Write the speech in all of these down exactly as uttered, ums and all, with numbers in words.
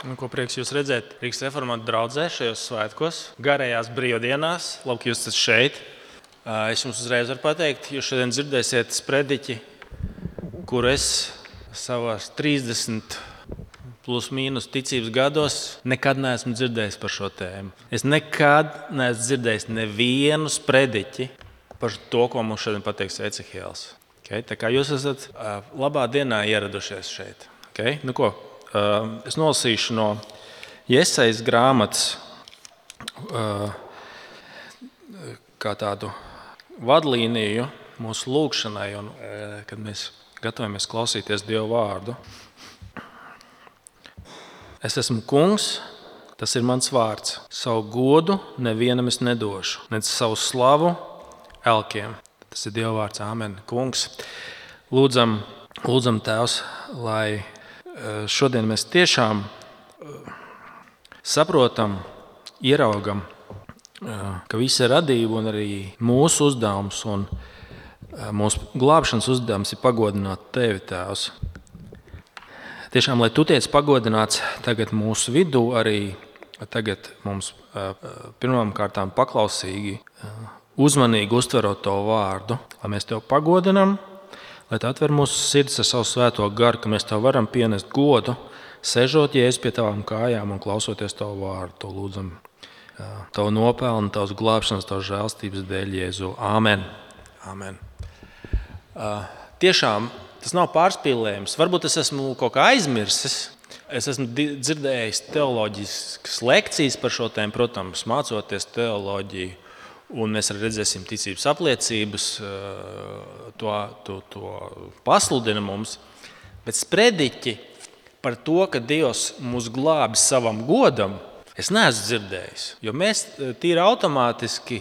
Nu, ko prieks jūs redzēt Rīgas reformātu draudzē šajos svētkos, garējās brīvdienās. Labi, ka jūs esat šeit. Es jums uzreiz varu pateikt, jūs šodien dzirdēsiet sprediķi, kur es savās trīsdesmit plus mīnus ticības gados nekad neesmu dzirdējis par šo tēmu. Es nekad neesmu dzirdējis nevienu sprediķi par to, ko mums šodien pateiks Ecehēls. Okay? Tā kā jūs esat labā dienā ieradušies šeit. Okay? Nu ko? Es nolasīšu no Jesajas grāmatas kā tādu vadlīniju mūsu lūgšanai, un, kad mēs gatavojamies klausīties Dieva vārdu. Es esmu kungs, tas ir mans vārds. Savu godu nevienam es nedošu, nec savu slavu elkiem. Tas ir Dieva vārds, āmen. Kungs, lūdzam, lūdzam Tēvs, lai šodien mēs tiešām saprotam, ieraugam, ka visa radība un arī mūsu uzdevums un mūsu glābšanas uzdevums ir pagodināt Tevi, Tēvs. Tiešām, lai Tu tiec pagodināts tagad mūsu vidū, arī tagad mums pirmām kārtām paklausīgi, uzmanīgi uztverot Tavu vārdu, lai mēs Tev pagodinām, lai Tu atver mūsu sirds ar savu svēto garu, ka mēs Tev varam pienest godu, sežot Jēzus pie Tavām kājām un klausoties Tavu vārdu. To lūdzam Tavu nopelnu, Tavas glābšanas, Tavas žēlstības dēļ, Jēzu. Āmen. Āmen. Uh, tiešām tas nav pārspīlējums. Varbūt es esmu kaut kā aizmirsis. Es esmu dzirdējis teoloģiskas lekcijas par šo tēmu, protams, mācoties teoloģiju. Un mēs arī redzēsim ticības apliecības, to, to, to pasludina mums. Bet sprediķi par to, ka Dievs mūs glābi savam godam, es neesmu dzirdējis. Jo mēs tīri automātiski,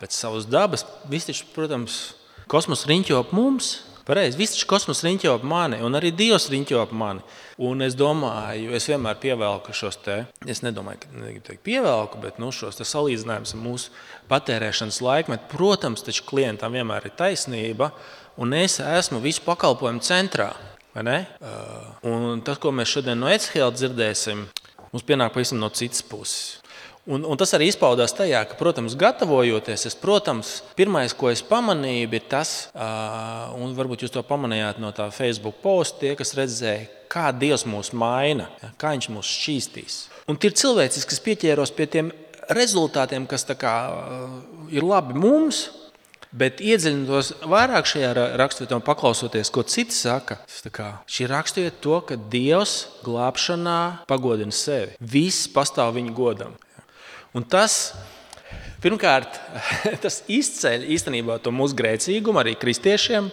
pēc savas dabas, visi taču, protams, kosmos riņķo ap mums. Pareizi, visi taču kosmos riņķo ap mani, un arī Dievs riņķo ap mani. Un es domāju, es vienmēr pievelku šos te, es nedomāju, ka negribu teikt pievelku, bet nu, šos te salīdzinājums ar mūsu patērēšanas laikmetu. Protams, taču klientam vienmēr ir taisnība, un es esmu visu pakalpojumu centrā. Vai ne? Un tas, ko mēs šodien no Ecehēla dzirdēsim, mums pienāk pavisam no citas puses. Un, un tas arī izpaudās tajā, ka, protams, gatavojoties, es, protams, pirmais, ko es pamanīju, bija tas, uh, un varbūt jūs to pamanījāt no tā Facebook posta, tie, kas redzēja, kā Dievs mūs maina, ja, kā viņš mūs šķīstīs. Un tie ir cilvēciski, kas pieķēros pie tiem rezultātiem, kas tā kā uh, ir labi mums, bet iedziļinoties vairāk šajā raksturvietā un paklausoties, ko citi saka, tā kā, šī raksturvieta to, ka Dievs glābšanā pagodina sevi. Viss pastāv viņa godam. Un tas, pirmkārt, tas izceļ īstenībā to mūsu grēcīgumu arī kristiešiem,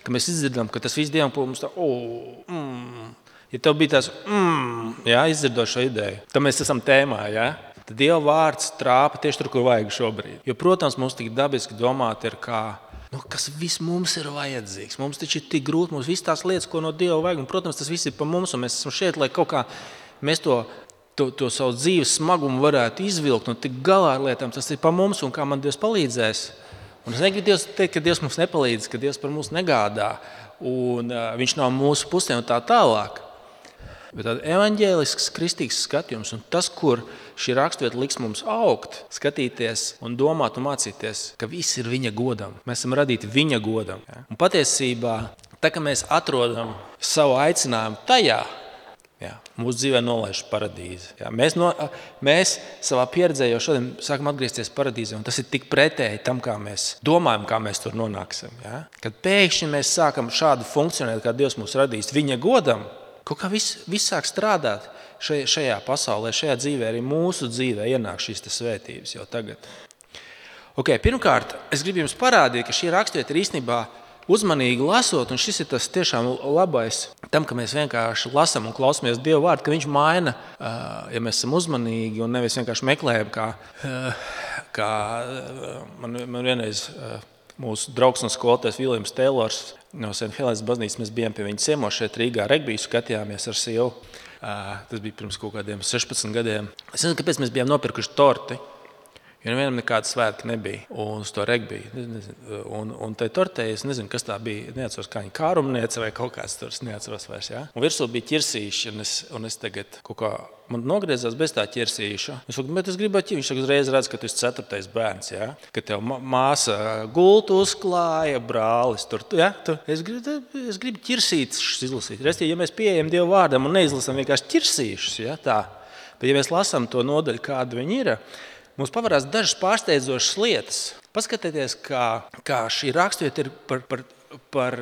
ka mēs izdzirdam, ka tas viss Dievam mums tā, oh, mm. Ja tev bija tās, mm, jā, izdzirdot šo ideju, tad mēs esam tēmā, jā. Tad Dieva vārds trāpa tieši tur, kur vajag šobrīd. Jo, protams, mums tik dabiski domāt ir kā, nu, kas viss mums ir vajadzīgs. Mums taču ir tik grūti, mums viss tās lietas, ko no Dieva vajag. Un, protams, tas viss ir pa mums, un mēs esam šeit, lai kaut kā mēs to To, to savu dzīves smagumu varētu izvilkt un tik galā ar lietām, tas ir pa mums un kā man Dievs palīdzēs. Un es negribu Dievs teikt, ka Dievs mums nepalīdz, ka Dievs par mums negādā un uh, viņš nav mūsu pusē un tā tālāk. Bet tāda evaņģēlisks, kristīgs skatījums un tas, kur šī raksturvieta liks mums augt, skatīties un domāt un mācīties, ka viss ir viņa godam. Mēs esam radīti viņa godam. Ja? Un patiesībā, tā kā mēs atrodam savu aicinājumu tajā, jā, mūsu dzīvē nolaiž paradīzi. Jā, mēs, no, mēs savā pieredzē jau šodien sākam atgriezties paradīzē, un tas ir tik pretēji tam, kā mēs domājam, kā mēs tur nonāksim. Jā. Kad pēkšņi mēs sākam šādu funkcionēt, kā Dievs mūs radījis viņa godam, kaut kā viss, viss sāk strādāt šajā, šajā pasaulē, šajā dzīvē, arī mūsu dzīvē ienāk šīs svētības jau tagad. Okay, pirmkārt, es gribu jums parādīt, ka šī raksturvieta ir īstenībā uzmanīgi lasot, un šis ir tas tiešām labais tam, ka mēs vienkārši lasam un klausamies Dieva vārdu, ka viņš maina, ja mēs esam uzmanīgi un nevis vienkārši meklējam, kā, kā man, man vienreiz mūsu draugs un skolotājs Viljams Teilors no Saint Helēnas baznīcas, mēs bijām pie viņa ciemos šeit Rīgā, regbiju skatījāmies ar sievu. Tas bija pirms kaut kādiem sešpadsmit gadiem. Es nezinu, kāpēc mēs bijām nopirkuši torti. Jo nevienam nekāda svētki nebija. Un uz to regbiju. Un, un tai tortei, es nezinu, kas tā bija. Neatceros, kā viņa kārumniece vai kaut kāds tur. Es neatceros vairs, jā. Un virsū bija ķirsīši. Un es, un es tagad kaut kā, man nogriezās bez tā ķirsīša. Es saku, bet es gribētu, viņš uzreiz redz, ka tu esi ceturtais bērns, jā. Ka tev māsa gultu uzklāja, brālis tur. Jā, tu, es, gribu, es gribu ķirsīšus izlasīt. Restīvi, ja mēs pieejam Dievu vārdam un neizlasam vienkārši ķirsīšus, jā, tā. Bet ja mēs lasām to nodaļu, kāda viņi ir, mums pavarās dažas pārsteidzošas lietas. Paskatieties, kā, kā šī raksturvieta ir par, par, par,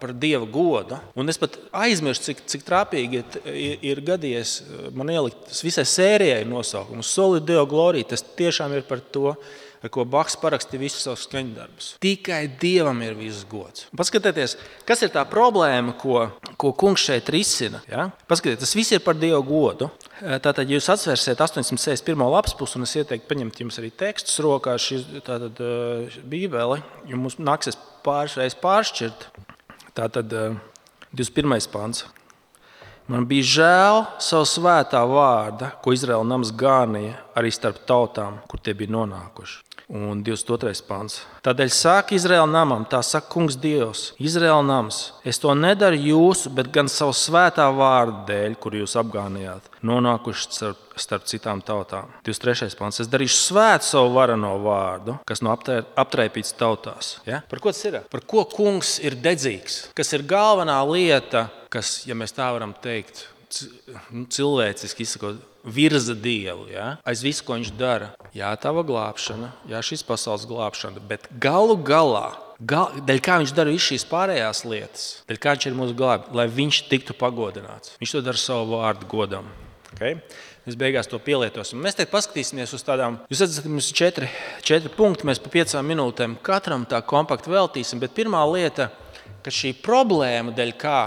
par Dieva godu. Un es pat aizmirstu, cik, cik trāpīgi ir, ir gadījies man ielikt visai sērijai nosaukumu. Soli Deo Gloria, tas tiešām ir par to, ar ko Baks parakstīja visus savus skaņdarbus. Tikai Dievam ir viss gods. Paskatieties, kas ir tā problēma, ko, ko kungs šeit risina. Ja? Paskatieties, tas viss ir par Dievu godu. Tātad, ja jūs atsversiet astoņsimt sešdesmit pirmo lapas pusi, un es ieteiktu paņemt jums arī tekstus rokā, šis, tātad bībeli, jo mums nāksies pāris reizes pāršķirt. Tātad divdesmit pirmais pants. Man bija žēl savu svētā vārda, ko Izraēla nams gānīja arī starp tautām, kur tie bija nonākuši. Un divdesmit otrais pants. Tādēļ saka Izraēla namam, tā saka kungs Dievs, Izraēla nams, es to nedaru jūsu, bet gan savu svētā vārdu dēļ, kur jūs apgānījāt, nonākuši starp, starp citām tautām. divdesmit trešais pants. Es darīšu svētu savu varano vārdu, kas no aptraipīts tautās. Ja? Par ko tas ir? Par ko kungs ir dedzīgs? Kas ir galvenā lieta, kas, ja mēs tā varam teikt, cilvēciski izsakot, virza Dievu, ja? Aiz visu, ko viņš dara. Jā, tava glābšana, jā, šīs pasaules glābšana, bet galu galā, gal, dēļ kā viņš dara visu šīs pārējās lietas, dēļ kā viņš ir mūsu glābi, lai viņš tiktu pagodināts. Viņš to dara savu vārdu godam. Okay? Mēs beigās to pielietosim. Mēs tagad paskatīsimies uz tādām, jūs redzat, mums ir četri, četri punkti, mēs pa piecām minūtēm katram tā kompakti veltīsim, bet pirmā lieta, ka šī problēma, dēļ kā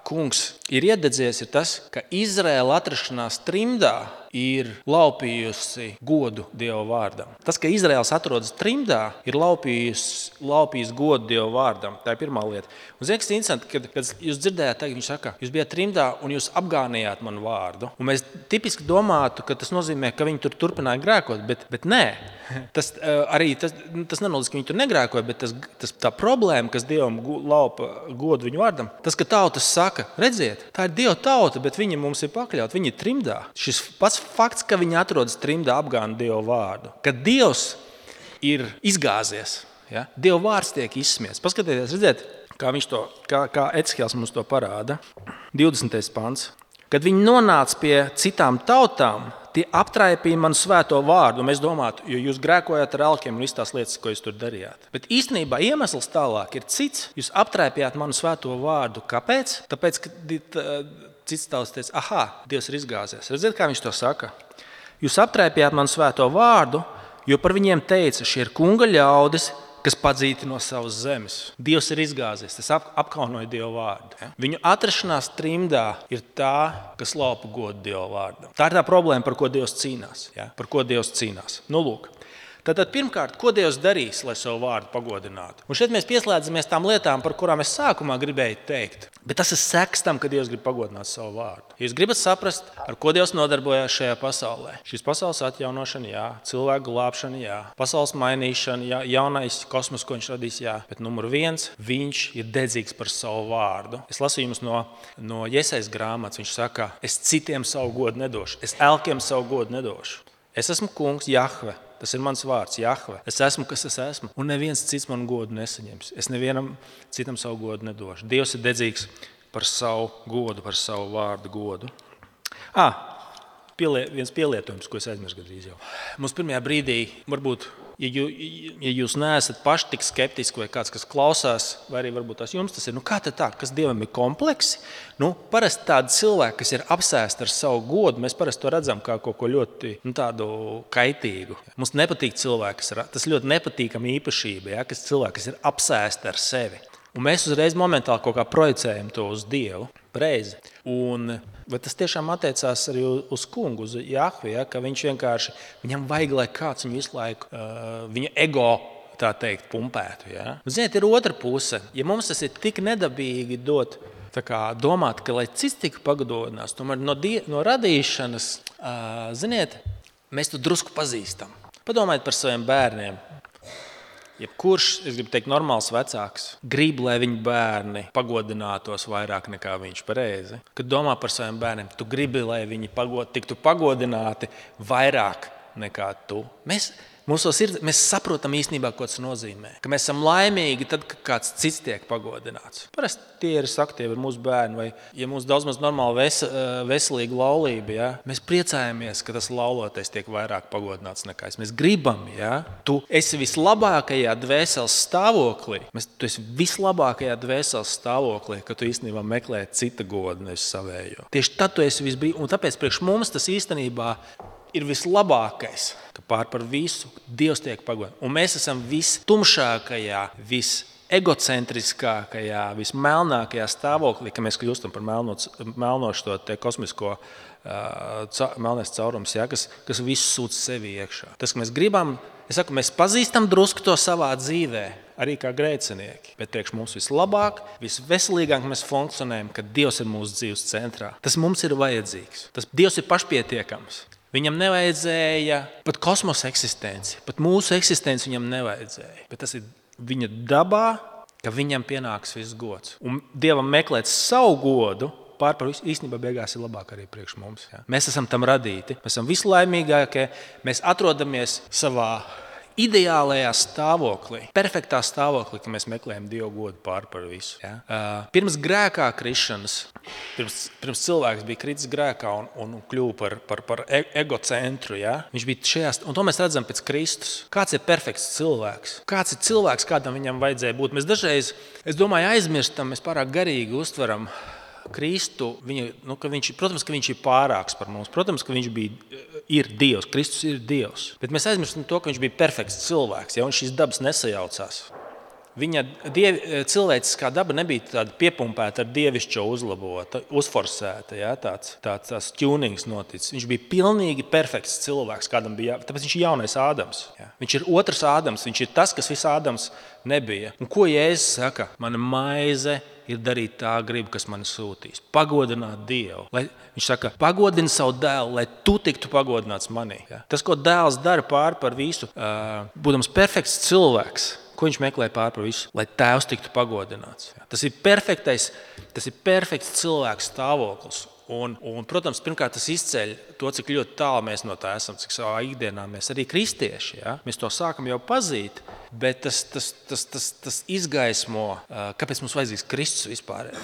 kungs ir iededzies, ir tas, ka Izraēla atrašanās trimdā ir laupījusi godu Dieva vārdam. Tas, ka Izraēls atrodas trimdā, ir laupījis, laupījis godu Dieva vārdam. Tā ir pirmā lieta. Un ziniet, kas ir interesanti, kad, kad jūs dzirdējāt, tagad viņš saka, jūs bijāt trimdā un jūs apgānījāt manu vārdu. Un mēs tipiski domātu, ka tas nozīmē, ka viņi tur turpināja grēkot, bet, bet nē. Tas, arī, tas, tas nenozīmē, ka viņi tur negrēkoja, bet tas, tas, tā problēma, kas Dievam laupa godu viņu vārdam, tas, ka tautas saka, redziet, tā ir Dieva tauta, bet viņi mums ir pakļaut, viņi ir trimdā. Šis pats fakts, ka viņi atrodas trimdā, apgāna Dieva vārdu. Kad Dievs ir izgāzies, ja? Dieva vārds tiek izsmiets. Paskatieties, redziet, kā, viņš to, kā, kā Ecehēls mums to parāda. divdesmitais pants. Kad viņi nonāca pie citām tautām, tie aptraipīja manu svēto vārdu. Un mēs domātu, jo jūs grēkojāt ar alkiem un visas tās lietas, ko jūs tur darījāt. Bet īstenībā iemesls tālāk ir cits. Jūs aptraipījāt manu svēto vārdu. Kāpēc? Tāpēc, ka cits tauts teica, aha, Dievs ir izgāzies. Redziet, kā viņš to saka? Jūs aptraipījāt manu svēto vārdu, jo par viņiem teica, šie ir kunga ļaudis, kas padzīti no savas zemes. Dievs ir izgāzies, tas ap, apkaunoja Dieva vārdu. Ja? Viņu atrašanās trimdā ir tā, kas laupa godu Dieva vārdam. Tā ir tā problēma, par ko Dievs cīnās. Ja? Par ko Dievs cīnās. Nu, lūk. Tātad pirmkārt, ko Dievs darīs, lai savu vārdu pagodinātu? Un šeit mēs pieslēdzamies tām lietām, par kurām es sākumā gribēju teikt. Bet tas ir seks tam, ka Dievs grib pagodināt savu vārdu. Jūs gribat saprast, ar ko Dievs nodarbojās šajā pasaulē. Šīs pasaules atjaunošana, jā, cilvēku glābšana, jā, pasaules mainīšana, jā, jaunais kosmos, ko viņš radīs, jā. Bet numur viens, viņš ir dedzīgs par savu vārdu. Es lasu jums no, no Jesajas grāmatas, viņš saka, es citiem savu godu nedošu, es elkiem savu godu nedošu. Es esmu kungs Jahve. Tas ir mans vārds, Jahve. Es esmu, kas es esmu. Un neviens cits man godu nesaņems. Es nevienam citam savu godu nedošu. Dievs ir dedzīgs par savu godu, par savu vārdu godu. Ah, pielie, viens pielietojums, ko es aizmirsu gandrīz jau. Mums pirmajā brīdī, varbūt, ja, jū, ja jūs neesat paši tik skeptiski vai kāds, kas klausās, vai arī varbūt tās jums tas ir, nu kā tad tā, kas Dievam ir kompleksi? Nu, parasti tādi cilvēki, kas ir apsēsti ar savu godu, mēs parasti to redzam kā kaut ko ļoti nu, tādu kaitīgu. Mums nepatīk cilvēki, kas ir, tas ļoti nepatīkama īpašība, ja, kas cilvēki, kas ir apsēsti ar sevi. Un mēs uzreiz momentāli kaut kā projicējam to uz Dievu, reizi. Un vai tas tiešām attiecās arī uz kungu, uz Jahvi, ja, ka viņš vienkārši, viņam vajag, lai kāds viņu visu laiku, uh, viņa ego, tā teikt, pumpētu. Ja. Ziniet, ir otra puse. Ja mums tas ir tik nedabīgi dot, tā kā domāt, ka lai cits tik pagodinās, tomēr no, die, no radīšanas, uh, ziniet, mēs to drusku pazīstam. Padomājiet par saviem bērniem. Jebkurš, es gribu teikt, normāls vecāks grib, lai viņa bērni pagodinātos vairāk nekā viņš pareizi. Kad domā par saviem bērniem, tu gribi, lai viņi pagod, tiktu pagodināti vairāk nekā tu. Mēs, mūsos ir, mēs saprotam īstenībā, ko tas nozīmē. Ka mēs esam laimīgi tad, kad kāds cits tiek pagodināts. Parasti tie ir sakti, ir mūsu bērni, vai ja mums daudz maz normāli ves, veselīga laulība, ja? Mēs priecājamies, ka tas laulotais tiek vairāk pagodināts nekā es. Mēs gribam, ja? Tu esi vislabākajā dvēseles stāvoklī. Mēs, tu esi vislabākajā dvēseles stāvoklī, ka tu īstenībā meklē cita godu, nevis savējo. Tieši tad tu esi visbrīd, un tāpēc priekš mums tas īstenībā ir vislabākais, ka pār par visu Dievs tiek pagodināts. Un mēs esam vistumšākajā, visegocentriskākajā, vismelnākajā stāvoklī, ka mēs kļūstam par melno, melno šo te kosmisko uh, melnais caurums, ja, kas, kas visu sūc sevi iekšā. Tas, ka mēs gribam, es saku, mēs pazīstam drusku to savā dzīvē, arī kā grēcinieki. Bet priekš mums vislabāk, visveselīgāk mēs funkcionējam, kad Dievs ir mūsu dzīves centrā. Tas mums ir vajadzīgs. Tas Dievs ir pašpietiekams. Viņam nevajadzēja pat kosmosa eksistenci, pat mūsu eksistenci viņam nevajadzēja. Bet tas ir viņa dabā, ka viņam pienāks viss gods. Un Dievam meklēt savu godu pār par visu īstenībā beigās ir labāk arī priekš mums. Ja? Mēs esam tam radīti, mēs esam vislaimīgākie, mēs atrodamies savā ideālajā stāvoklī, perfektā stāvoklī, ka mēs meklējam Dievu godu pār par visu. Ja? Uh, pirms grēkā krišanas, pirms, pirms cilvēks bija kritis grēkā un, un kļuva par, par, par egocentru, ja? Viņš bija šajās, un to mēs redzam pēc Kristus. Kāds ir perfekts cilvēks? Kāds ir cilvēks, kādam viņam vajadzēja būt? Mēs dažreiz, es domāju, aizmirstam, mēs pārāk garīgi uztveram Kristu, viņu, nu, ka viņš, protams, ka viņš ir pārāks par mums. Protams, ka viņš bija, ir Dievs, Kristus ir Dievs. Bet mēs aizmirstam to, ka viņš bija perfekts cilvēks, ja, un šīs dabas nesajaucās. Viņa diev, cilvēciskā daba nebija tāda piepumpēta ar dievišķo uzlabota, uzforsēta, ja, tāds, tāds, tāds tunings noticis. Viņš bija pilnīgi perfekts cilvēks, kādam bija, tāpēc viņš ir jaunais Ādams. Ja. Viņš ir otrs Ādams, viņš ir tas, kas viss Ādams nebija. Un ko Jēzus saka? Mana maize ir darīt tā gribu, kas mani sūtīs. Pagodināt Dievu. Lai, viņš saka, pagodini savu dēlu, lai tu tiktu pagodināts manī. Ja? Tas, ko dēls dara pār par visu, uh, būdams perfekts cilvēks, ko viņš meklē pār par visu, lai tēvs tiktu pagodināts. Ja? Tas ir perfektais, tas ir perfekts cilvēks stāvoklis. Un, un, protams, pirmkārt, tas izceļ to, cik ļoti tālu mēs no tā esam, cik savā ikdienā mēs arī kristieši. Ja? Mēs to sākam jau pazīt, bet tas, tas, tas, tas, tas izgaismo, kāpēc mums vajadzīgs Kristus vispār.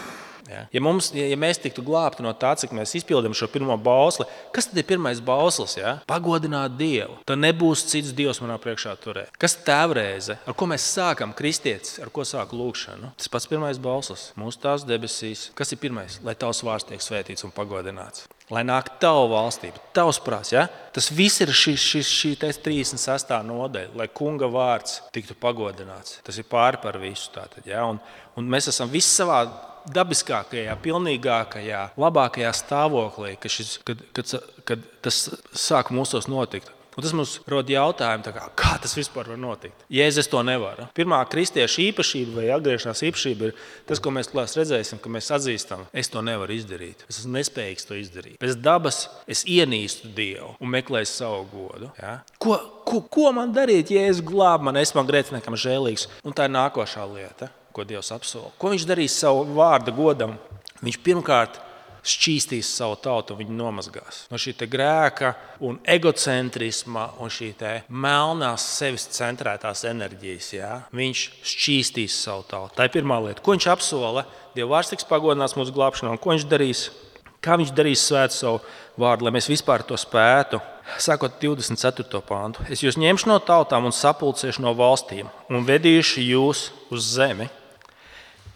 Ja? Ja, mums, ja mēs tiktu glābti no tā, cik mēs izpildam šo pirmo bausli, kas tad ir pirmais bauslis? Ja? Pagodināt Dievu. Tad nebūs cits Dievs manā priekšā turēt. Kas tēvreize? Ar ko mēs sākam kristietis? Ar ko sāku lūgšanu? Tas pats pirmais bauslis. Mūsu tās debesīs. Kas ir pirmais? Lai tavs vārds tiek svētīts un pagodināts. Lai nāk tava valstība, tavs prāts. Ja? Tas viss ir šī, šī, šī trīsdesmit sestā nodaļa, lai kunga vārds tiktu pagodināts. Tas ir pāri par visu. Tātad, ja? un, un mēs esam visi savā dabiskākajā, pilnīgākajā, labākajā stāvoklī, kad, šis, kad, kad, kad tas sāk mūsos notikt. Un tas mums rod jautājumu, kā, kā tas vispār var notikt. Jēzus to nevar. Pirmā kristieša īpašība vai atgriešanās īpašība ir tas, ko mēs klās redzēsim, ka mēs atzīstam, es to nevaru izdarīt. Es esmu nespējīgs to izdarīt. Pēc dabas es ienīstu Dievu un meklēju savu godu. Ja? Ko, ko, ko man darīt, ja es glābu man, es man grēciniekam žēlīgs? Un tā ir nākošā lieta, ko Dievs apsola. Ko viņš darīs savu vārda godam? Viņš pirmkārt šķīstīs savu tautu un viņu nomazgās. No šī te grēka un egocentrisma un šī te melnās sevis centrētās enerģijas. Ja? Viņš šķīstīs savu tautu. Tā ir pirmā lieta. Ko viņš apsola? Dieva vārds tiks pagodināts mūsu glābšanā. Un ko viņš darīs? Kā viņš darīs svētu savu vārdu, lai mēs vispār to spētu? Sākot divdesmit ceturto pāntu. Es jūs ņemšu no tautām un sapulcēšu no valstīm un vedīšu jūs uz zemi.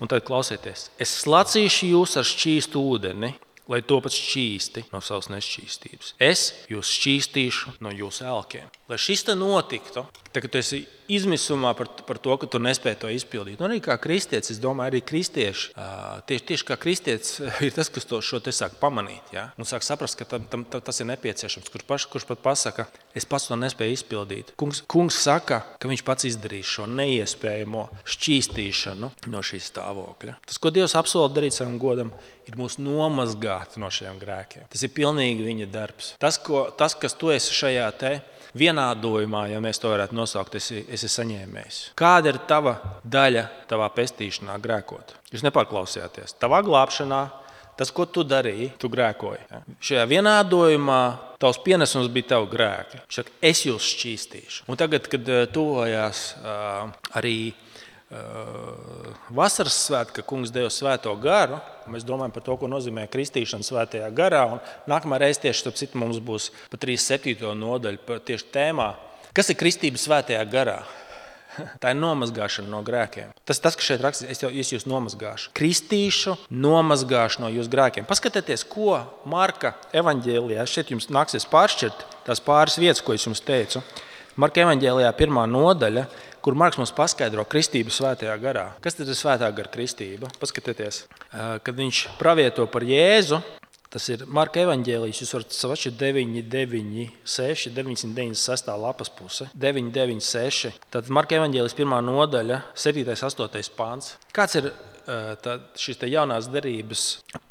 Un tad klausieties, es slacīšu jūs ar šķīstu ūdeni, lai topat šķīsti no savas nešķīstības. Es jūs šķīstīšu no jūsu elkiem. Lai šis te notiktu, tad, kad tu esi izmisumā par, par to, ka tu nespēji to izpildīt. Un arī kā kristietis, es domāju, arī kristieši, tieši, tieši kā kristietis ir tas, kas to, šo te sāk pamanīt. Ja? Un sāk saprast, ka tam, tam, tas ir nepieciešams. Kurš, paš, kurš pat pasaka, es pats to nespēju izpildīt. Kungs, kungs saka, ka viņš pats izdarīs šo neiespējamo šķīstīšanu no šī stāvokļa. Tas, ko Dievs apsola darīt savam godam, ir mūs nomazgāt no šiem grēkiem. Tas ir pilnīgi viņa darbs. Tas, ko, tas kas tu esi šajā te vienādojumā, ja mēs to varētu nosaukt, esi, esi saņēmējs. Kāda ir tava daļa tavā pestīšanā grēkot? Jūs nepārklausījāties. Tavā glābšanā, tas, ko tu darīji, tu grēkoji. Ja? Šajā vienādojumā tavs pienesums bija tavu grēki. Šak, es jūs šķīstīšu. Un tagad, kad tuvojās uh, arī uh, vasaras svētki, ka kungs deva svēto garu, mēs domājam par to, ko nozīmē kristīšana svētajā garā. Un nākamā reize tieši starp citu mums būs pa trīsdesmit septīto nodaļu tieši tēmā. Kas ir kristība svētajā garā? Tā ir nomazgāšana no grēkiem. Tas, tas kas šeit rakstīts, es, jau, es jūs nomazgāšu. Kristīšu, nomazgāšu no jūsu grēkiem. Paskatieties, ko Marka evaņģēlijā, šeit jums nāksies pāršķirt tās pāris vietas, ko es jums teicu. Marka evaņģēlijā pirmā nodaļa, kur Marks mums paskaidro kristību svētajā garā. Kas tad ir svētā gara kristība? Paskatieties, kad viņš pravieto par Jēzu, tas ir Marka evaņģēlijs, jūs varat savašķi deviņi, deviņi, seši, deviņsimt deviņdesmit seši lapas puse, deviņi, deviņi, seši. Tad Marka evaņģēlijs pirmā nodaļa, septītais, astotais pāns. Kāds ir tā, šīs te jaunās derības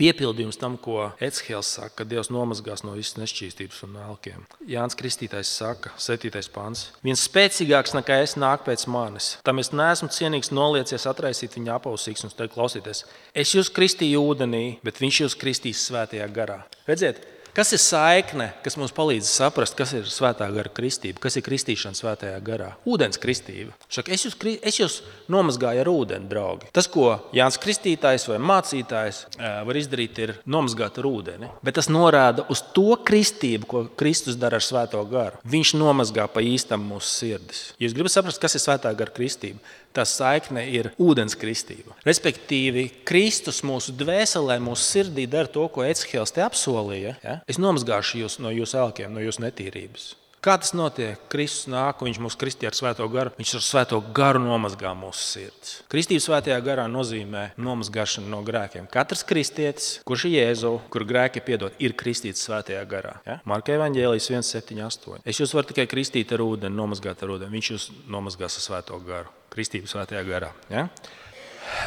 piepildījums tam, ko Ecihēls saka, ka Dievs nomazgās no visas nešķīstības un elkiem? Jānis Kristītājs saka, septītais pāns. Viens spēcīgāks nekā es nāk pēc manis. Tam es neesmu cienīgs noliecies atraisīt viņa apausīgs un teikt, klausieties, es jūs kristīju ūdenī, bet viņš jūs kristīs svētajā garā. Redziet, kas ir saikne, kas mums palīdz saprast, kas ir svētā gara kristība, kas ir kristīšana svētajā garā? Ūdens kristība. Šaka, es, jūs, es jūs nomazgāju ar ūdeni, draugi. Tas, ko Jānis Kristītājs vai mācītājs var izdarīt, ir nomazgāt ar ūdeni. Bet tas norāda uz to kristību, ko Kristus dara ar svēto garu. Viņš nomazgā pa īstam mūsu sirdis. Jūs gribat saprast, kas ir svētā gara kristība? Tā saikne ir ūdens kristība. Respektīvi, Kristus mūsu dvēselē, mūsu sirdī dara to, ko Ecihēls te apsolīja. Ja? Es nomazgāšu jūs no jūsu elkiem, no jūsu netīrības. Kā tas notiek? Kristus nāk, un viņš mūs kristīja ar svēto garu. Viņš ar svēto garu nomazgā mūsu sirds. Kristība svētajā garā nozīmē nomazgāšanu no grēkiem. Katrs kristietis, kurš ir Jēzu, kur grēki piedod, ir kristīts svētajā garā. Ja? Marka evaņģēlijs viens, septiņi, astoņi. Es jūs varu tikai kristīt ar ūdeni, nomazgāt ar ūdeni. Viņš jūs nomazgās ar svēto garu. Kristība svētajā garā. Ja?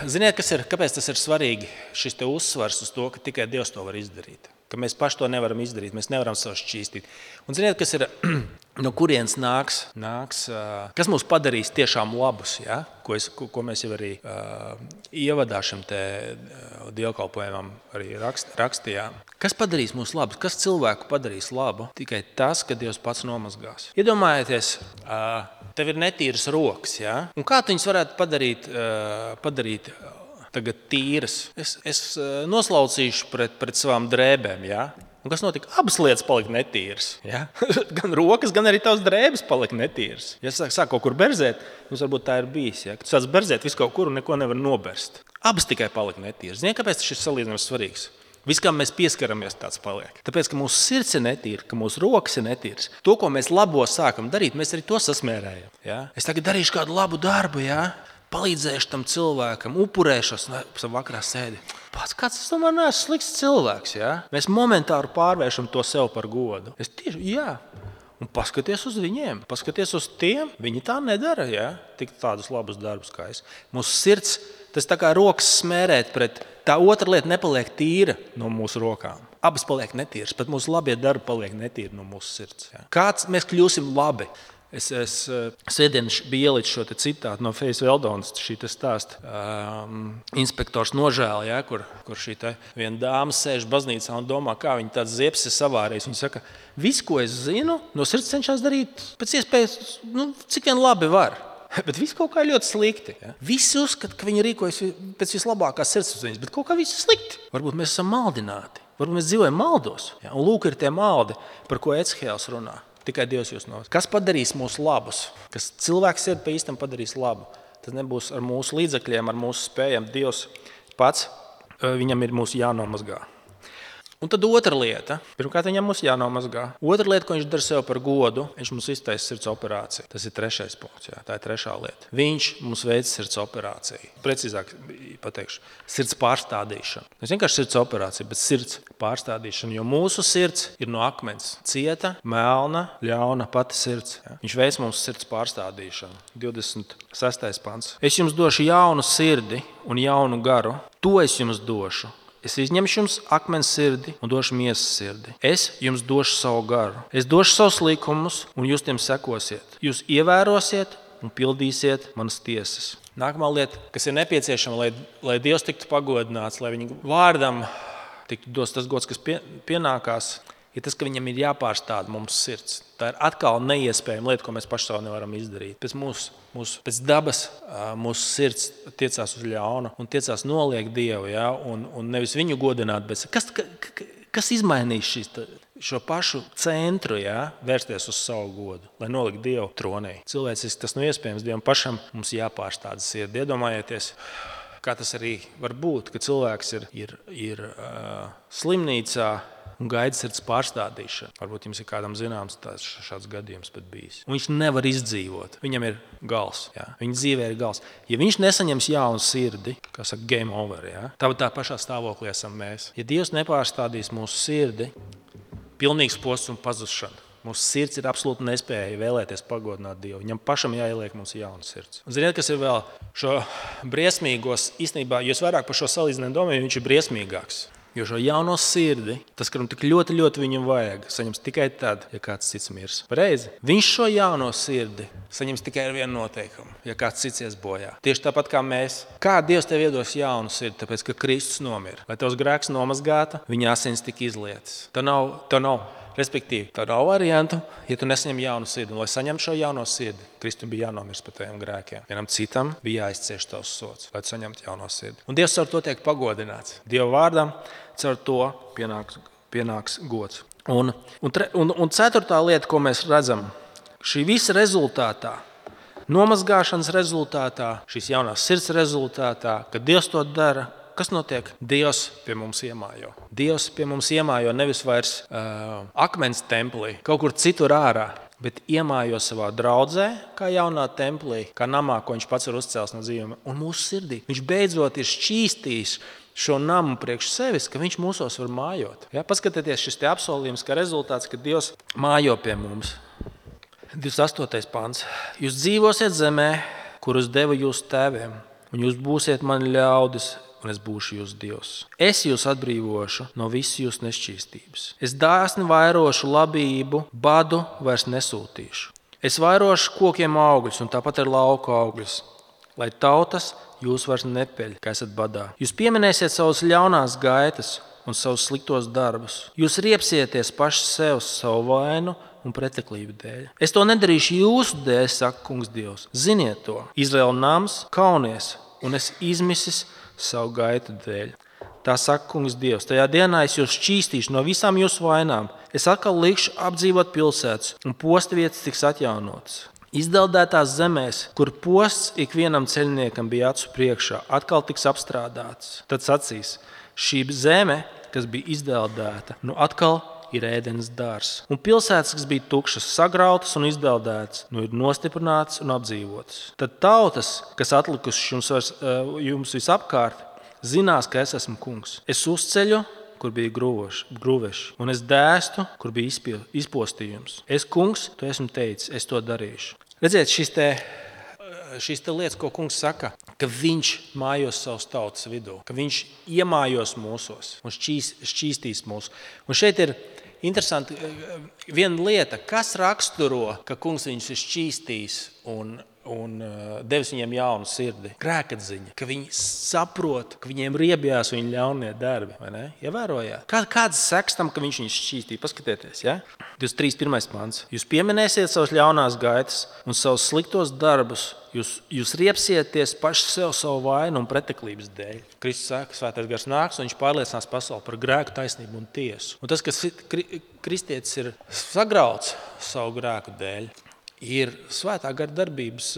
Ziniet, kas ir, kāpēc tas ir svarīgi? Šis te uzsvars uz to, ka tikai Dievs to var izdarīt. Ka mēs paši to nevaram izdarīt, mēs nevaram sev šķīstīt. Un ziniet, kas ir, no kurienes nāks, nāks kas mūs padarīs tiešām labus, ja? ko, es, ko, ko mēs jau arī uh, ievadā šim te uh, dievkalpojumam arī rakst, rakstījām. Kas padarīs mūs labus? Kas cilvēku padarīs labu? Tikai tas, ka Dievs pats nomazgās. Iedomājieties, uh, tev ir netīras rokas, ja? Un kā tu viņus varētu padarīt, uh, padarīt tagad tīras? Es, es noslaucīšu pret, pret savām drēbēm, ja? Un kas notika? Abas lietas palika netīras. Ja? Gan rokas, gan arī tavs drēbes palika netīras. Ja sāk, sāk kaut kur berzēt, jums varbūt tā ir bijis. Ja? Tu sāc berzēt visu kaut kur un neko nevar noberst. Abas tikai palika netīras. Ziniet, kāpēc šis salīdzinājums svarīgs? Viss, kam mēs pieskaramies, tāds paliek. Tāpēc, ka mūsu sirds ir netīra, ka mūsu rokas ir netīras. To, ko mēs labo sākam darīt, mēs arī to sasmērējam. Ja? Es tagad darīšu kādu labu darbu, ja? Palīdzēšu tam cilvēkam, upurēšos, un vakarā sēdi. Pats kāds, es tomēr neesmu slikts cilvēks, ja? Mēs momentāri pārvēršam to sev par godu. Es tieši, jā. Un paskaties uz viņiem, paskaties uz tiem, viņi tā nedara, ja? Tik tādus labus darbus kā es. Mūsu sirds, tas tā kā rokas smērēt pret, tā otra lieta nepaliek tīra no mūsu rokām. Abas paliek netīras, pat mūsu labie darbi paliek netīri no mūsu sirds. Ja? Kāds mēs kļūsim labi? Es, es sēdien biju ielicis šo citātu no Fejas Veldonas, šī stāsta um, inspektors nožēla, ja, kur, kur šī viena dāma sēž baznīcā un domā, kā viņa tāds ziepes ir savārējis. Viņa saka, viss, ko es zinu, no sirds cenšas darīt pēc iespējas, nu, cik vien labi var. Bet viss kaut kā ļoti slikti. Ja? Visi uzskata, ka viņi rīkojas pēc vislabākās sirdsapziņas, bet kaut kā viss ir slikti. Varbūt mēs esam maldināti, varbūt mēs dzīvojam maldos. Ja? Un lūk ir tie maldi, par ko Ecihēls runā. Tikai Dievs jūs novas. Kas padarīs mūs labus? Kas cilvēks ir pa īstam padarīs labu? Tas nebūs ar mūsu līdzekļiem, ar mūsu spējām. Dievs pats, viņam ir mūsu jānomazgā. Un tad otra lieta. Pirmkārt, viņam mums jānomazgā. Otra lieta, ko viņš dara sev par godu, viņš mums iztaisa sirds operāciju. Tas ir trešais punkts. Jā. Tā ir trešā lieta. Viņš mums veic sirds operāciju. Precīzāk pateikšu, sirds pārstādīšanu. Tas vienkārši sirds operācija, bet sirds pārstādīšana, jo mūsu sirds ir no akmens. Cieta, melna, ļauna pati sirds. Jā. Viņš veic mums sirds pārstādīšanu. divdesmit sestais pants. Es jums došu jaunu sirdi un jaunu garu. To es jums došu. Es izņemšu jums akmens sirdi un došu miesas sirdi. Es jums došu savu garu. Es došu savus likumus, un jūs tiem sekosiet. Jūs ievērosiet un pildīsiet manas tiesas. Nākamā lieta, kas ir nepieciešama, lai, lai Dievs tiktu pagodināts, lai viņa vārdam tiktu dos tas gods, kas pie, pienākās, ir tas, ka viņam ir jāpārstāda mums sirds. Tā ir atkal neiespējama lieta, ko mēs paši savu nevaram izdarīt. Pēc, mūsu, mūsu, pēc dabas mūsu sirds tiecās uz ļaunu un tiecās noliegt Dievu, ja? un, un nevis viņu godināt, bet kas, ka, kas izmainīs šis, šo pašu centru, ja? Vērsties uz savu godu, lai nolikt Dievu tronī. Cilvēciski tas nav iespējams, Dievam pašam mums jāpārstāda sirdi. Iedomājieties, kā tas arī var būt, ka cilvēks ir, ir, ir uh, slimnīcā un gaida sirds pārstādīšanu. Varbūt jums ir kādam zināms tāds šāds gadījums pat bijis. Un viņš nevar izdzīvot. Viņam ir gals. Jā. Viņa dzīvē ir gals. Ja viņš nesaņems jaunu sirdi, kā saka, game over, jā, tā, tā pašā stāvoklī esam mēs. Ja Dievs nepārstādīs mūsu sirdi, pilnīgs posts un pazušana. Mūsu sirds ir absolūti nespēja vēlēties pagodināt Dievu. Viņam pašam jāieliek mums jauna sirds. Un ziniet, kas ir vēl šo briesmīgos, īstenībā, jo es vairāk par šo salīdzinājumu domāju, viņš ir briesmīgāks. Jo šo jauno sirdi, tas, kuram tik ļoti, ļoti viņam vajag, saņems tikai tad, ja kāds cits mirs. Pareizi? Viņš šo jauno sirdi saņems tikai ar vienu noteikumu, ja kāds cits ies bojā. Tieši tāpat kā mēs. Kā Dievs tev iedos jaunu sirdi, tāpēc, ka Kristus nomira. Lai tavs grēks nomazgāta, viņa asins tika izlietas. Tā nav, tā nav. Respektīvi, tā nav variantu, ja tu nesaņem jaunu sirdi. Un, lai saņemtu šo jauno sirdi, Kristum bija jānomirst par taviem grēkiem. Vienam citam bija jāizcieš tavs sods, lai tu saņemtu jauno sirdi. Un Dievs caur to tiek pagodināts. Dieva vārdam caur to pienāks, pienāks gods. Un, un, tre, un, un ceturtā lieta, ko mēs redzam, šī visa rezultātā, nomazgāšanas rezultātā, šīs jaunās sirds rezultātā, kad Dievs to dara, kas notiek? Dievs pie mums iemājo. Dievs pie mums iemājo nevis vairs uh, akmens templī, kaut kur citur ārā, bet iemājo savā draudzē, kā jaunā templī, kā namā, ko viņš pats ir uzcēlis no dzīvuma, un mūsu sirdī. Viņš beidzot ir šķīstījis šo namu priekš sevis, ka viņš mūsos var mājot. Ja? Paskatieties šis te apsolījums, ka rezultāts, ka Dievs mājo pie mums. divdesmit astotais pants. Jūs dzīvosiet zemē, kurus deva jūsu tēviem, un jūs būsiet mani ļaudis, un es būšu jūsu Dievs. Es jūs atbrīvošu no visas jūsu nešķīstības. Es dāsni vairošu labību, badu vairs nesūtīšu. Es vairošu kokiem augļus, un tāpat ar lauku augļus, lai tautas jūs vairs nepeļ, ka esat badā. Jūs pieminēsiet savus ļaunās gaitas un savus sliktos darbus. Jūs riepsieties paši sev savu vainu un preteklību dēļ. Es to nedarīšu jūsu dēļ, saka kungs Dievs. Ziniet to. Izraēla nams kaunies, un es izmisis savu gaitu dēļ. Tā saka kungs Dievs. Tajā dienā es jūs šķīstīšu no visām jūsu vainām. Es atkal likšu apdzīvot pilsētas, un postvietas tiks atjaunotas. Izdeldētās zemēs, kur posts ikvienam ceļniekam bija acu priekšā, atkal tiks apstrādāts. Tad sacīs, šī zeme, kas bija izdeldēta, nu atkal ir ēdenes dārs. Un pilsētas, kas bija tukšas, sagrautas un izdeldētas, nu ir nostiprinātas un apdzīvotas. Tad tautas, kas atlikušas jums, vairs, jums visapkārt, zinās, ka es esmu kungs. Es uzceļu, kur bija grūveši, un es dēstu, kur bija izpostījums. Es kungs, to esmu teicis, es to darīšu. Redziet, šis te, šis te lietas, ko kungs saka, ka viņš mājos savas tautas vidū, ka viņš iemājos mūsos un šķīs, šķīstīs mūs. Un šeit ir interesanti viena lieta, kas raksturo, ka kungs viņus ir šķīstījis un, un devis viņiem jaunu sirdi. Grēkatziņa, ka viņi saprot, ka viņiem riebjās viņu ļaunie darbi. Vai ne? Ievērojāt? Kā, kāds seks tam, ka viņš viņus šķīstīja? Paskatieties, ja? divdesmit trīs pirmais pants. Jūs pieminēsiet savas ļaunās gaitas un savus sliktos darbus. Jūs, jūs riepsieties paši sev savu vainu un preteklības dēļ. Kristus saka, svētais gars nāks, un viņš pārliecinās pasauli par grēku, taisnību un tiesu. Un tas, kas kristietis ir sagrauts savu grēku dēļ, ir svētā gara darbības,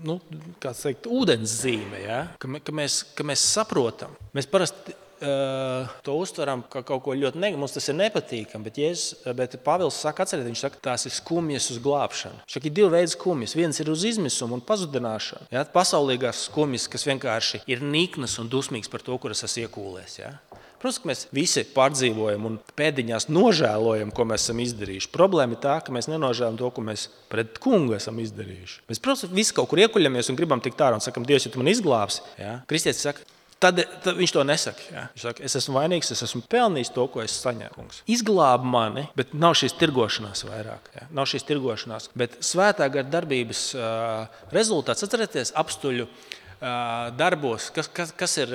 nu, kā teikt, ūdens zīme, ja? ka, ka, mēs, ka mēs saprotam. Mēs parasti uh, to uztveram kā kaut ko ļoti negatīvu. Mums tas ir nepatīkami, bet, Jēzus, bet Pāvils saka, atcerieties, viņš saka, tās ir skumjas uz glābšanu. Viņš saka, ir divi veidi skumjas. Viens ir uz izmisumu un pazudināšanu. Ja? Pasaulīgās skumjas, kas vienkārši ir niknas un dusmīgs par to, kur es esmu iekūlēs. Ja? Protams, ka mēs visi pārdzīvojam un pēdiņās nožēlojam, ko mēs esam izdarījuši. Problēma ir tā, ka mēs nenožēlam to, ko mēs pret kungu esam izdarījuši. Mēs, protams, visi kaut kur iekuļamies un gribam tikt ārā un sakam, Dievs, ja tu man izglābsi. Ja? Kristietis saka, Tad, tad viņš to nesaka. Jā. Viņš saka, es esmu vainīgs, es esmu pelnījis to, ko es saņēmu. Izglāb mani, bet nav šīs tirgošanās vairāk. Jā. Nav šīs tirgošanās. Bet svētā gara darbības uh, rezultāts, atcerieties, apstuļu uh, darbos, kas, kas, kas ir,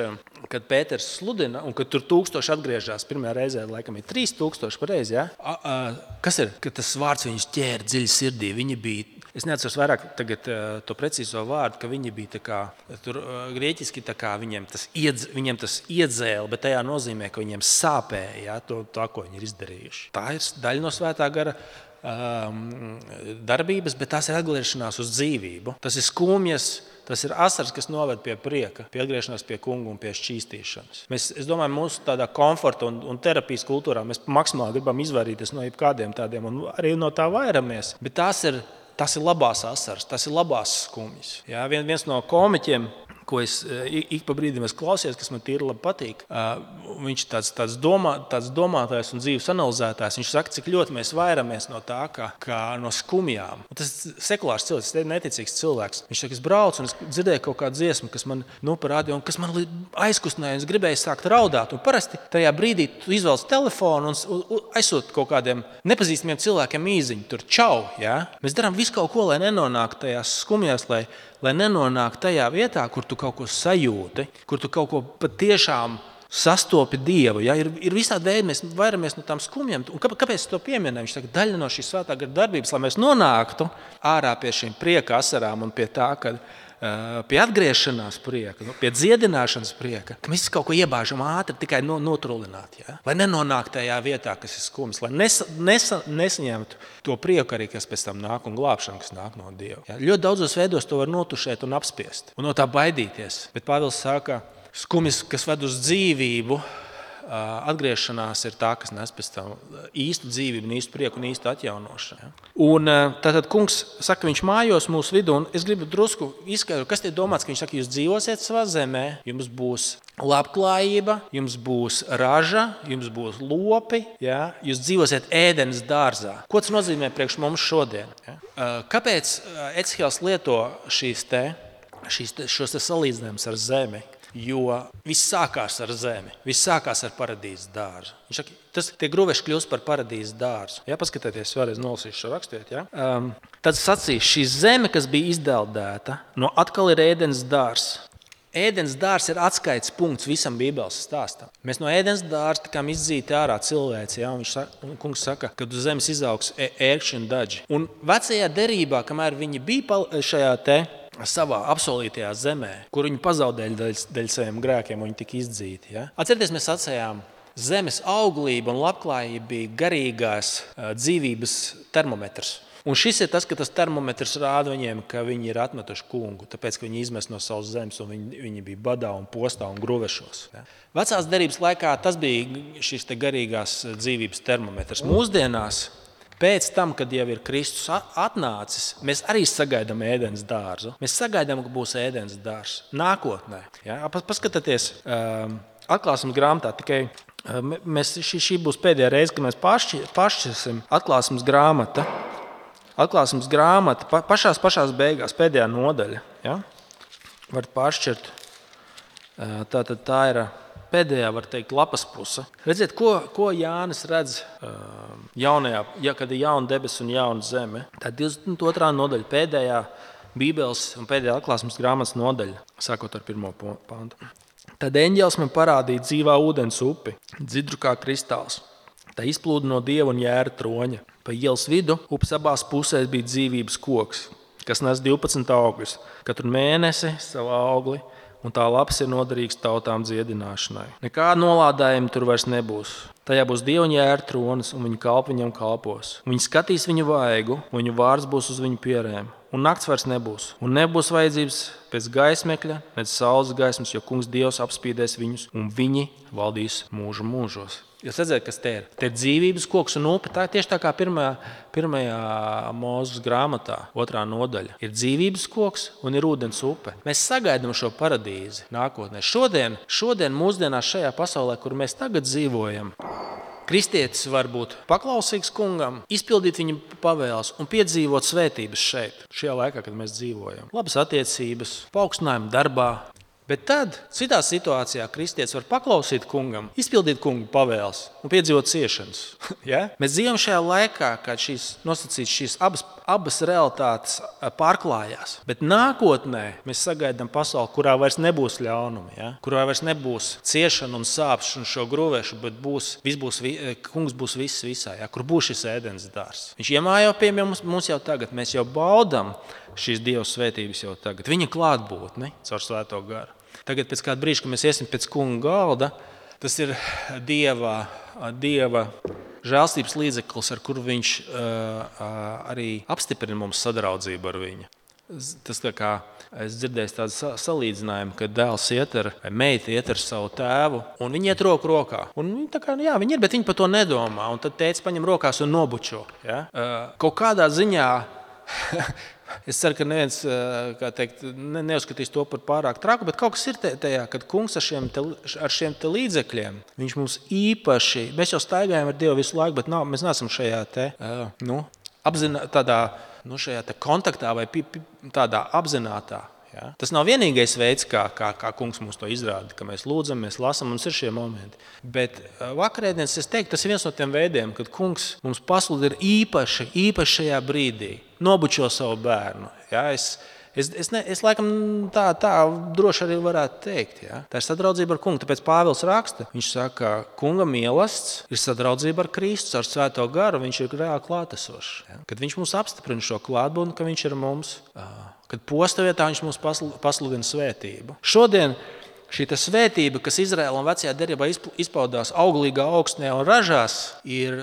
kad Pēters sludina, un kad tur tūkstoši atgriežas, pirmajā reizē, laikam, ir trīs tūkstoši pareizi. Ja? Uh, uh, kas ir, kad tas vārds viņus ķēra dziļi sirdī, viņi bija. Es neatceros vairāk tagad, uh, to precīzo vārdu, ka viņi bija tā kā, tur, uh, grieķiski tā kā viņiem tas, iedz, viņiem tas iedzēla, bet tajā nozīmē, ka viņiem sāpēja ja, to, to, ko viņi ir izdarījuši. Tā ir daļa no svētā gara um, darbības, bet tās ir atgriešanās uz dzīvību. Tas ir skumjas, tas ir asars, kas noved pie prieka, pie atgriešanās pie kungu un pie šķīstīšanas. Mēs, es domāju, mūsu tādā komforta un, un terapijas kultūrā mēs maksimāli gribam izvairīties no jebkādiem tādiem un arī no tā vairamies, bet tās ir Tas ir labās asaras, tas ir labās skumjas. Ja, vien, viens no komiķiem, ko es ik pa brīdim klausījos, kas man tīri labi patīk, viņš tāds, tāds, domā, tāds domātājs un dzīves analizētājs. Viņš saka, cik ļoti mēs vairamies no tā, kā, kā no skumjām. Un tas ir sekulārs cilvēks, tas ir neticīgs cilvēks. Viņš saka, es braucu un es dzirdēju kaut kādu dziesmu, kas man nu, parādīja, un kas man aizkustināja, un es gribēju sākt raudāt. Un parasti tajā brīdī tu izvelc telefonu un, un aizsūti kaut kādiem nepazīstamiem cilvēkiem īziņu. Tur čau, ja? Mēs darām visu kaut ko, lai nenonāktu tajās skumjās, lai lai nenonāk tajā vietā, kur tu kaut ko sajūti, kur tu kaut ko patiešām sastopi Dievu. Ja? Ir, ir visādi veidi, mēs vairamies no tām skumjām. Un kāpēc es to pieminēju? Viņš saka, daļa no šīs svētā gara darbības, lai mēs nonāktu ārā pie šīm prieka asarām un pie tā, ka pie atgriešanās prieka, pie dziedināšanas prieka, ka mēs kaut ko iebāžam ātri tikai no, notrulināt. Ja? Lai nenonāk tajā vietā, kas ir skumjas, lai nesa, nesa, nesaņemtu to prieku arī, kas pēc tam nāk un glābšanu, kas nāk no Dieva. Ja? Ļoti daudzos veidos to var notušēt un apspiest un no tā baidīties. Bet Pāvils saka, skumjas, kas ved uz dzīvību, atgriešanās ir tā, kas nes pēc tam īstu dzīvību, īstu prieku un īstu atjaunošanu. Un tātad kungs saka, viņš mājos mūsu vidū, un es gribu drusku izskaidrot, kas tie domāts, ka viņš saka, jūs dzīvosiet savā zemē, jums būs labklājība, jums būs raža, jums būs lopi, ja? Jūs dzīvosiet ēdenes dārzā. Ko tas nozīmē priekš mums šodien? Ja? Kāpēc Ecihēls lieto šīs te, šīs te, šos te salīdzinājumus ar zemi? Jo viss sākās ar zemi, viss sākās ar paradīzes dārzu. Viņš saka, tas, tie gruveši kļūst par paradīzes dārzu. Ja, paskatieties, vēlreiz nolasīšu šo rakstiet. Ja? Um, tad sacīs, šī zeme, kas bija izdeldēta, no atkal ir ēdenes dārzs. Ēdenes dārzs ir atskaites punkts visam Bībeles stāstam. Mēs no ēdenes dārza tikām izdzīti ārā cilvēci. Ja? Un viņš saka, un kungs saka, ka uz zemes izaugs ērkšķi un daži. Un vecajā derībā, kamēr viņi bija šajā te savā apsolītajā zemē, kur viņi pazaudēja dēļ, dēļ saviem grēkiem, viņi tika izdzīti. Ja? Atcerieties, mēs sacējām, zemes auglība un labklājība bija garīgās uh, dzīvības termometrs. Un šis ir tas, ka tas termometrs rāda viņiem, ka viņi ir atmetuši kungu, tāpēc, ka viņi izmest no savas zemes un viņi, viņi bija badā un postā un gruvešos. Ja? Vecās derības laikā tas bija šis te garīgās dzīvības termometrs. Mūsdienās, pēc tam, kad jau ir Kristus atnācis, mēs arī sagaidām ēdenes dārzu. Mēs sagaidām, ka būs ēdenes dārzs nākotnē. Ja? Paskatieties, um, atklāsmes grāmatā tikai um, mēs, šī, šī būs pēdējā reize, kad mēs pašķirsim atklāsmes grāmata. Atklāsmes grāmata pa, pašās, pašās beigās, pēdējā nodaļa. Ja? Var pāršķirt. Uh, tā, tā, tā ir pēdējā, var teikt, lapas puse. Redziet, ko, ko Jānis redz uh, jaunajā, ja, kad ir jauna debes un jauna zeme. Tā ir divdesmit otrā nodaļa, pēdējā Bībeles un pēdējā atklāsmes grāmatas nodaļa, sākot ar pirmo pantu. Tad eņģelis man parādīja dzīvā ūdens upi, dzidru kā kristāls. Tā izplūda no Dieva un jēra troņa. Pa ielas vidu upes abās pusēs bija dzīvības koks, kas nes divpadsmit augļus, katru mēnesi savu augli, un tā lapas ir noderīgs tautām dziedināšanai. Nekāda nolādējuma tur vairs nebūs. Tajā būs Dieva un jēra tronis, un viņa kalpi viņam kalpos. Viņi skatīs viņu vaigu, un viņu vārds būs uz viņu pierēm. Un nakts vairs nebūs. Un nebūs vajadzības pēc gaismekļa, pēc saules gaismas, jo kungs Dievs apspīdēs viņus, un viņi valdīs mūžu mūžos. Jūs redzat, kas te ir? Te ir dzīvības koks un upe. Tā tieši tā kā pirmajā, pirmajā Mūzes grāmatā, otrā nodaļa. Ir dzīvības koks un ir ūdens upe. Mēs sagaidām šo paradīzi nākotnē. Šodien, šodien mūsdienās šajā pasaulē, kur mēs tagad dzīvojam, kristietis var būt paklausīgs kungam, izpildīt viņa pavēles un piedzīvot svētības šeit, šajā laikā, kad mēs dzīvojam. Labas attiecības, paaugstinājumi darbā, Bet tad, citā situācijā, kristietis var paklausīt kungam, izpildīt kungu pavēles un piedzīvot ciešanas. Ja? Mēs dzīvojam šajā laikā, kad šīs nosacītas šīs abas, abas realitātes pārklājās. Bet nākotnē mēs sagaidām pasauli, kurā vairs nebūs ļaunumi, ja? Kurā vairs nebūs ciešana un sāpes un šo grūvēšu, bet būs, būs, kungs būs viss visā, ja? Kur būs šis ēdens dārzs. Viņš iemājo pie mums, mums jau tagad, mēs jau baudām šīs Dieva svētības jau tagad. Viņa klātbūtni caur Svēto garu. Tagad pēc kāda brīža, kad mēs iesim pēc kunga galda, tas ir Dieva, Dieva žēlstības līdzeklis, ar kuru viņš uh, arī apstiprina mums sadraudzību ar viņu. Tas tā kā es dzirdēju tādu salīdzinājumu, ka dēls iet ar, vai meita iet ar savu tēvu, un viņi iet roku rokā. Un viņi tā kā, jā, viņi ir, bet viņi par to nedomā. Un tad tētis paņem rokās un nobučo. Ja? Uh, kaut kādā ziņā... Es ceru, ka neviens teikt, ne, neuzskatīs to par pārāk traku, bet kaut kas ir tajā, kad kungs ar šiem, te, ar šiem te līdzekļiem, viņš mums īpaši, mēs jau staigājam ar Dievu visu laiku, bet nav, mēs neesam šajā te, nu, apzinā, tādā, nu, šajā te kontaktā vai pi, pi, tādā apzinātā. Ja? Tas nav vienīgais veids, kā, kā, kā kungs mums to izrāda, ka mēs lūdzam, mēs lasam, mums ir šie momenti. Bet vakarēdienas, es teiktu, tas ir viens no tiem veidiem, kad kungs mums pasludina īpaši, īpaši šajā brīdī, nobučo savu bērnu. Ja? Es, es, es, ne, es laikam tā, tā droši arī varētu teikt. Ja? Tā ir sadraudzība ar kungu. Tāpēc Pāvils raksta, viņš saka, kunga mīlestība ir sadraudzība ar Kristu, ar Svēto garu, viņš ir reāli klātesošs. Ja? Kad viņš mums apstiprina šo klātbūtni, ka viņš ir mums... Kad posta vietā viņš mums pasludina svētību. Šodien šī svētība, kas Izraēlam vecajā derībā izpaudās auglīgā augstnē un ražās, ir,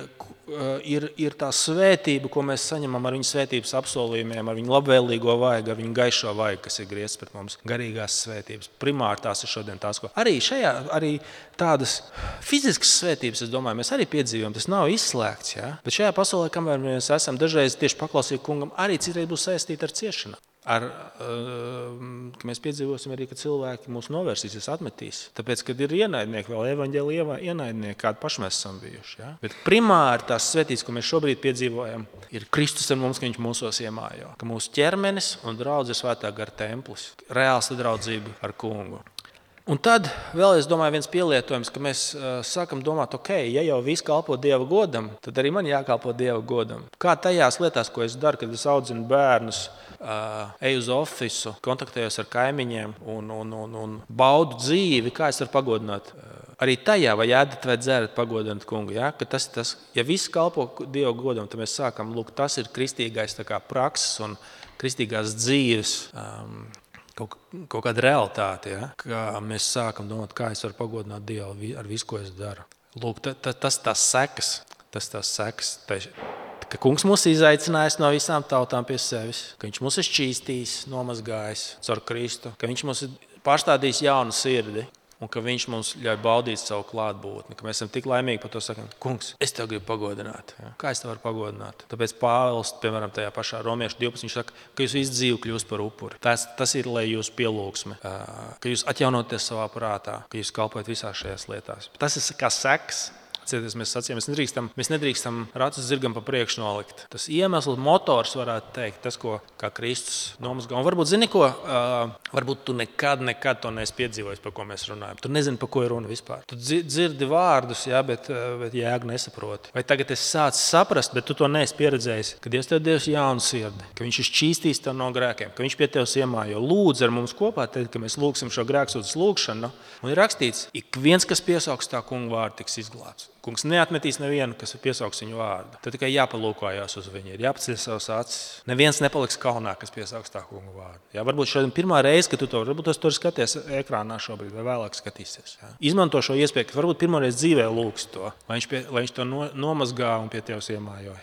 ir, ir tā svētība, ko mēs saņemam ar viņu svētības apsolījumiem, ar viņu labvēlīgo vaigu, ar viņu gaišo vaigu, kas ir griezts pret mums, garīgās svētības. Primāri tās ir šodien tās, ko arī šajā, arī tādas fiziskas svētības, es domāju, mēs arī piedzīvojam, tas nav izslēgts. Ja? Bet šajā pasaulē, kamēr mēs esam dažreiz tieši paklausīgi kungam, arī citreiz būs saistīti ar ciešanu. Ar, ka mēs piedzīvosim arī, ka cilvēki mūs novērsīsies, atmetīs. Tāpēc, kad ir ienaidnieki, vēl evaņģēlijā ienaidnieki, kādi paši mēs esam bijuši. Ja? Bet primāri tās svētības, ko mēs šobrīd piedzīvojam, ir Kristus ar mums, ka viņš mūsos iemājo. Ka mūsu ķermenis un draudz ir Svētā gara templis. Reāla sadraudzība ar kungu. Un tad vēl, es domāju, viens pielietojums, ka mēs uh, sākam domāt, ok, ja jau viss kalpo Dieva godam, tad arī man jākalpo Dieva godam. Kā tajās lietās, ko es daru, kad es audzinu bērnus, uh, eju uz ofisu, kontaktējos ar kaimiņiem un, un, un, un baudu dzīvi, kā es varu pagodināt. Uh, arī tajā, vai ēdat vai dzērat pagodināt kungu. Ja? Ka tas, tas, ja viss kalpo Dieva godam, tad mēs sākam, lūk, tas ir kristīgais tā kā prakses un kristīgās dzīves. Um, Kaut, kaut kāda realitāte, ja? Kā mēs sākam domāt, kā es varu pagodināt Dievu ar visu, ko es daru. Lūk, ta, ta, tas tās sekas, tas tās sekas, tā, ka kungs mūs izaicinājis no visām tautām pie sevis, ka viņš mūs ir šķīstījis, nomazgājis caur Kristu, ka viņš mūs ir pārstādījis jaunu sirdi un ka viņš mums ļauj baudīt savu klātbūtni, ka mēs esam tik laimīgi par to sakam, kungs, es tev gribu pagodināt. Ja? Kā es tev varu pagodināt? Tāpēc Pāvils, piemēram, tajā pašā Romiešu divpadsmit, viņš saka, ka jūs visu dzīvi kļūst par upuri. Tas, tas ir, lai jūs pielūgsme, ka jūs atjaunoties savā prātā, ka jūs kalpojat visās šajās lietās. Tas ir kā seks. Mēs sacījām, mēs nedrīkstam, mēs nedrīkstam ratus zirgam pa priekšu nolikt. Tas iemesls, motors varētu teikt, tas, ko kā Kristus nomazgā. Un varbūt, zini ko, uh, varbūt tu nekad, nekad to neesi piedzīvojis, par ko mēs runājam. Tu nezini, par ko ir runa vispār. Tu dzirdi vārdus, jā, bet, bet jēgu nesaproti. Vai tagad esi sācis saprast, bet tu to neesi pieredzējis, ka Dievs tev devis jaunu sirdi, ka viņš ir šķīstījis tev no grēkiem, ka viņš pie tevis iemājo. Lūdz ar mums kopā, teikt, ka mēs lūgsim šo grēksūdzes lūgšanu. Un ir rakstīts, ik viens, kas piesauks tā kunga vārdu, tiks izglābts. Kungs neatmetīs nevienu, kas piesauks viņu vārdu. Tad tikai jāpalūkojās uz viņu, ir jāpaceļ savas acis. Neviens nepaliks kaunā, kas piesauks tā kunga vārdu. Jā, varbūt šodien pirmā reize, kad tu to, varbūt tu skaties ekrānā šobrīd, vai vēlāk skatīsies. Jā. Izmanto šo iespēju, ka varbūt pirmo reizi dzīvē lūgsi to, lai viņš, pie, lai viņš to no, nomazgā un pie tevis iemājo.